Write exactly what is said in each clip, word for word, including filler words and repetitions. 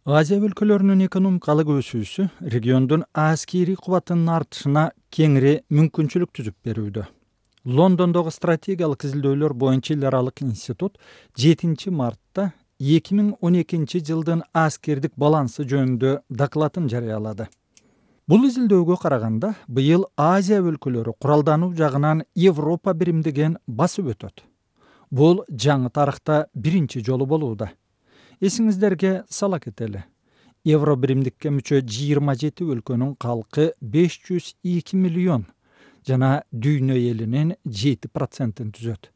Азия өлкөлөрүнүн экономикалык өсүүсү региондун аскерий кубатынын артышына кеңири мүмкүнчүлүк түзүп берүүдө. Лондондогу стратегиялык изилдөөлөр боюнча эл аралык институт жетинчи мартта эки миң он экинчи жылдын аскердик балансы жөнүндө докладын жарыялады. Бул изилдөөгө караганда быйыл Азия өлкөлөрү куралдануу жагынан Европа биримдигин басып өтөт. Бул жаңы тарыхта биринчи жолу болууда. Эсиңиздерге сала кетели. Евро биримдикке мүчө жыйырма жети өлкөнүн калкы беш жүз эки миллион жана дүйнө элинин жети процентин түзөт.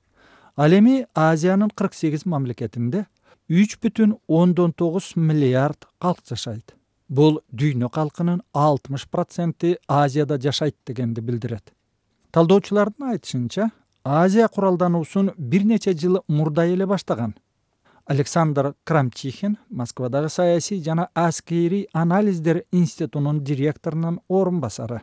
Ал эми Азиянын кырк сегиз мамлекетинде үч бүтүн ондон тогуз миллиард калк жашайт. Бул дүйнө калкынын алтымыш проценти Азияда жашайт дегенди билдирет. Талдоочулардын айтышынча, Азия куралдануусун бир нече жыл мурда эле баштаган. Александр Крамчихин, Москвадагы саясий жана аскерий анализдер институтунун директорунун орун басары.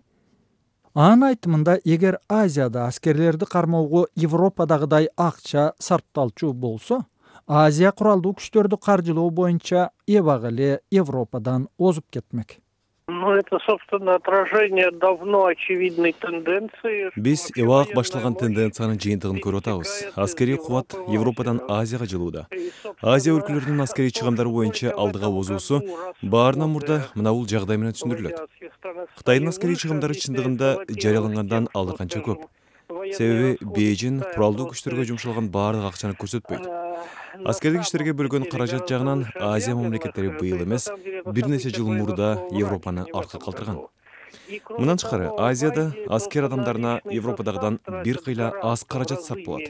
Анын айтымында, эгер Азияда аскерлерди кармоого Европадагыдай акча сарпталчу болсо, Азия куралдуу күчтөрдү каржылоо боюнча эбак эле Европадан озуп кетмек. Ну, это, собственно, отражение давно очевидной тенденции. Биз эбак башталган тенденциянын жыйынтыгын көрүп атабыз. Аскерий кубат Европадан Азияга жылууда. Азия өлкөлөрүнүн аскерий чыгымдары боюнча алдыга озуусу баарынан мурда мына бул жагдай менен түшүндүрүлөт. Кытайдын аскерий чыгымдары чындыгында жарыялангандан алда канча көп. Себеби Бейжин куралдуу күчтөргө жумшалган баардык акчаны көрсөтпөйт. Аскердик иштерге бөлгөн каражат жагынан Азия мамлекеттери быйыл эмес, бир нече жыл мурда Европаны артка калтырган. Мындан тышкары, Азияда аскер адамдарына Европадагыдан бир кыйла аз каражат сарп болот.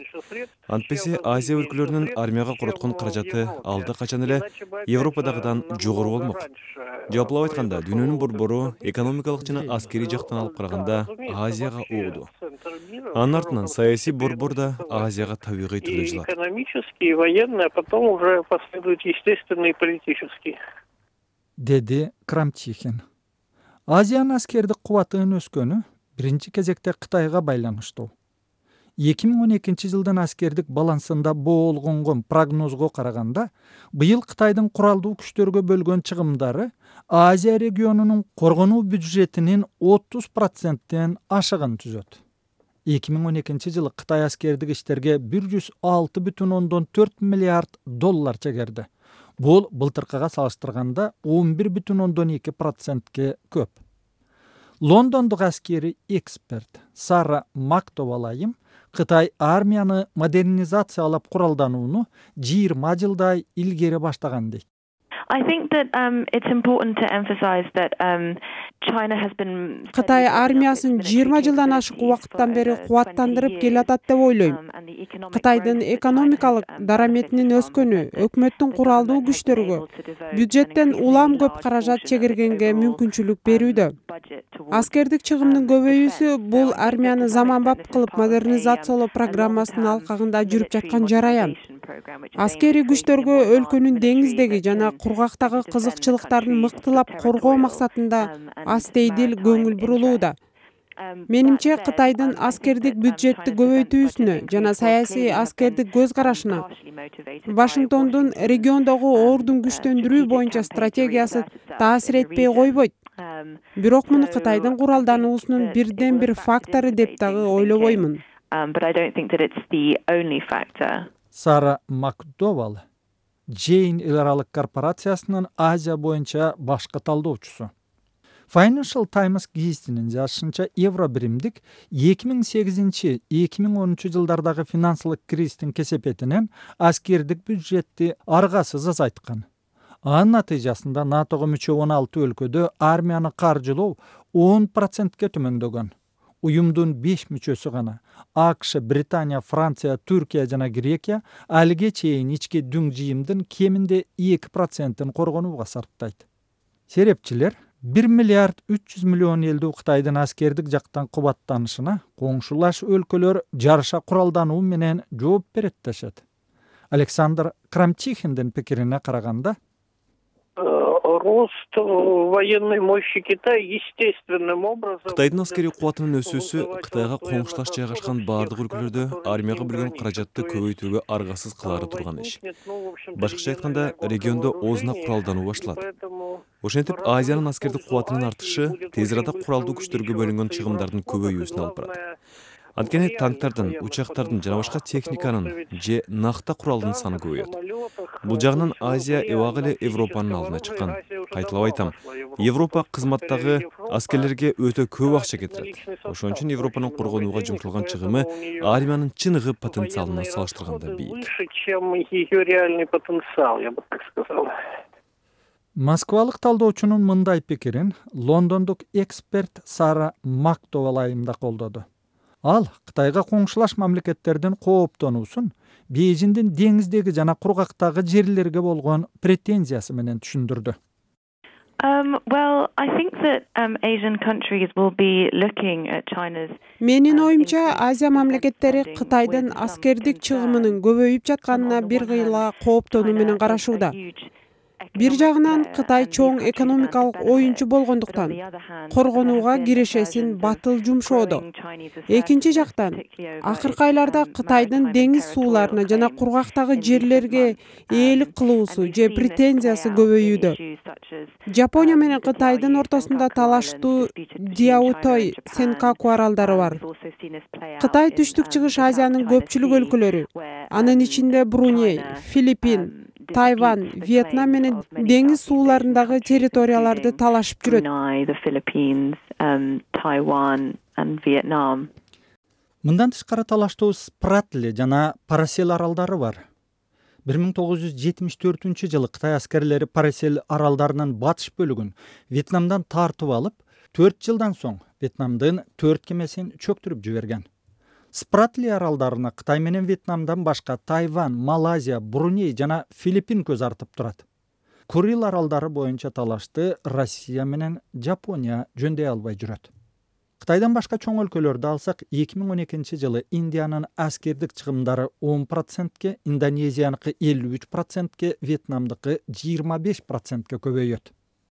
Антпесе Азия өлкөлөрүнүн армияга короткон каражаты алда качан эле Европадагыдан жогору болмок. Жалпылап айтканда, дүйнөнүн борбору экономикалык жана аскерий жактан алып караганда Азияга угду. Анын артынан саясий борбор да Азияга табигый түрдө жылат. Экономический, военный, а потом уже последует естественный и политический. Деди Крамчихин. Азиянын аскердик кубатынын өскөнү биринчи кезекте Кытайга байланыштуу. эки миң он экинчи жылдын аскердик балансында болгонгон прогнозго караганда, быйыл Кытайдын куралдуу күчтөргө бөлгөн чыгымдары Азия регионунун коргонуу бюджетинин отуз проценттен ашыгын түзөт. эки миң он экинчи жылы Кытай аскердик иштерге бир жүз алты бүтүн ондон төрт миллиард доллар чегерди. Бул былтыркыга салыштырганда он бир бүтүн ондон эки процентке көп. Лондондук аскерий эксперт Сара Мактовалайым Кытай армияны модернизациялап куралданууну жыйырма жылдай илгери баштаган дейт. I think that um, it's important to emphasize that um, China has been. Кытай армиясын жыйырма жылдан ашык убакыттан бери кубаттандырып келатат деп ойлойм. Кытайдын экономикалык дараметинин өскөнү өкмөттүн куралдуу күчтөргө бюджеттен улам көп каражат чегиргенге мүмкүнчүлүк берүүдө. Аскердик чыгымдын көбөйүүсү бул армияны заманбап кылып модернизациялоо программасынын алкагында жүрүп жаткан жараян. Аскерий күчтөргө өлкөнүн деңиздеги жана кургактагы кызыкчылыктарын мыктылап коргоо максатында астейдил көңүл бурулууда. Менимче Кытайдын аскердик бюджетти көбөйтүүсүнө жана саясий аскердик көз карашына Вашингтондун региондогу ордун күчтөндүрүү боюнча стратегиясы таасир этпей койбойт. Бирок муну Кытайдын куралдануусунун бирден бир фактору деп дагы ойлобоймун. Сара Макдовал, Джейн эл аралык корпорациясынын Азия боюнча башкы талдоочусу. Financial Times гезитинин жазышынча, евро биримдик эки миң сегизинчи - эки миң онунчу жылдардагы финансылык кризистин кесепетинен аскердик бюджетти аргасыз азайткан. Анын натыйжасында натого мүчө он алты өлкөдө армияны каржылоо он процентке төмөндөгөн. Уюмдун беш мүчөсү гана АКШ, Британия, Франция, Түркия жана Грекия алиге чейин ички дүң жыйымдын кеминде эки процентин коргонууга сарптайт. Серепчилер бир миллиард үч жүз миллион элдүү Кытайдын аскердик жактан кубаттанышына коңшулаш өлкөлөр жарыша куралдануу менен жооп берет дешет. Александр Крамчихиндин пикирине караганда, рост военной мощи Китая естественным образом. Кытайдын аскерий кубатынын өсүүсү Кытайга коңшулаш жайгашкан баардык өлкөлөрдө армияга бөлгөн каражатты көбөйтүүгө аргасыз кылаары турган иш. Башкача айтканда, региондо оозуна куралдануу башталат. Ошентип, Азиянын аскердик кубатынын артышы тез арада куралдуу күчтөргө бөлүнгөн чыгымдардын көбөйүүсүнө алып барат. Анткени танктардын, учактардын жана башка техниканын же накта куралдын саны көбөйөт. Бул жагынан Азия эбак эле Европанын алдына чыккан. Кайталап айтам, Европа кызматтагы аскерлерге өтө көп акча кетирет. Ошон үчүн Европанын коргонууга жумшалган чыгымы армиянын чыныгы потенциалына салыштырганда бийик. Выше, чем ее реальный потенциал, я бы так сказал. Москвалык талдоочунун мындай пикирин лондондук эксперт Сара Мактовал айымда колдоду. Ал Кытайга коңшулаш мамлекеттердин кооптонуусун Бейжиңдин деңиздеги жана кургактагы жерлерге болгон претензиясы менен түшүндүрдү. Um, well, I think that um, Asian countries will be looking at China's. Менин оюмча, Азия мамлекеттери Кытайдын аскердик чыгымынын көбөйүп жатканына бир кыйла кооптонуу менен карашууда. Бир жагынан Кытай чоң экономикалык оюнчу болгондуктан коргонууга кирешесин батыл жумшоодо. Экинчи жактан, акыркы айларда Кытайдын деңиз сууларына жана кургактагы жерлерге ээлик кылуусу же претензиясы көбөйүүдө. Жапония менен Кытайдын ортосунда талаштуу Диаотой, Сенкаку аралдары бар. Кытай Түштүк-Чыгыш Азиянын көпчүлүк өлкөлөрү, анын ичинде Бруней, Филиппин, Тайвань, Вьетнам менен деңиз сууларындагы территорияларды талашып жүрөт. Мындан тышкары талаштуу Спратли жана Парасел аралдары бар. бир миң тогуз жүз жетимиш төртүнчү жылы Кытай аскерлери Парасел аралдарынын батыш бөлүгүн Вьетнамдан тартып алып, төрт жылдан соң Вьетнамдын төрт кемесин чөктүрүп жиберген. Спратли аралдарына Кытай менен Вьетнамдан башка Тайвань, Малайзия, Бруней жана Филиппин көз артып турат. Курил аралдары боюнча талашты Россия менен Жапония жөндөй албай жүрөт. Кытайдан башка чоң өлкөлөрдү алсак, эки миң он экинчи жылы Индиянын аскердик чыгымдары он процентке, Индонезияныкы элүү үч процентке, Вьетнамдыкы жыйырма беш процентке көбөйөт.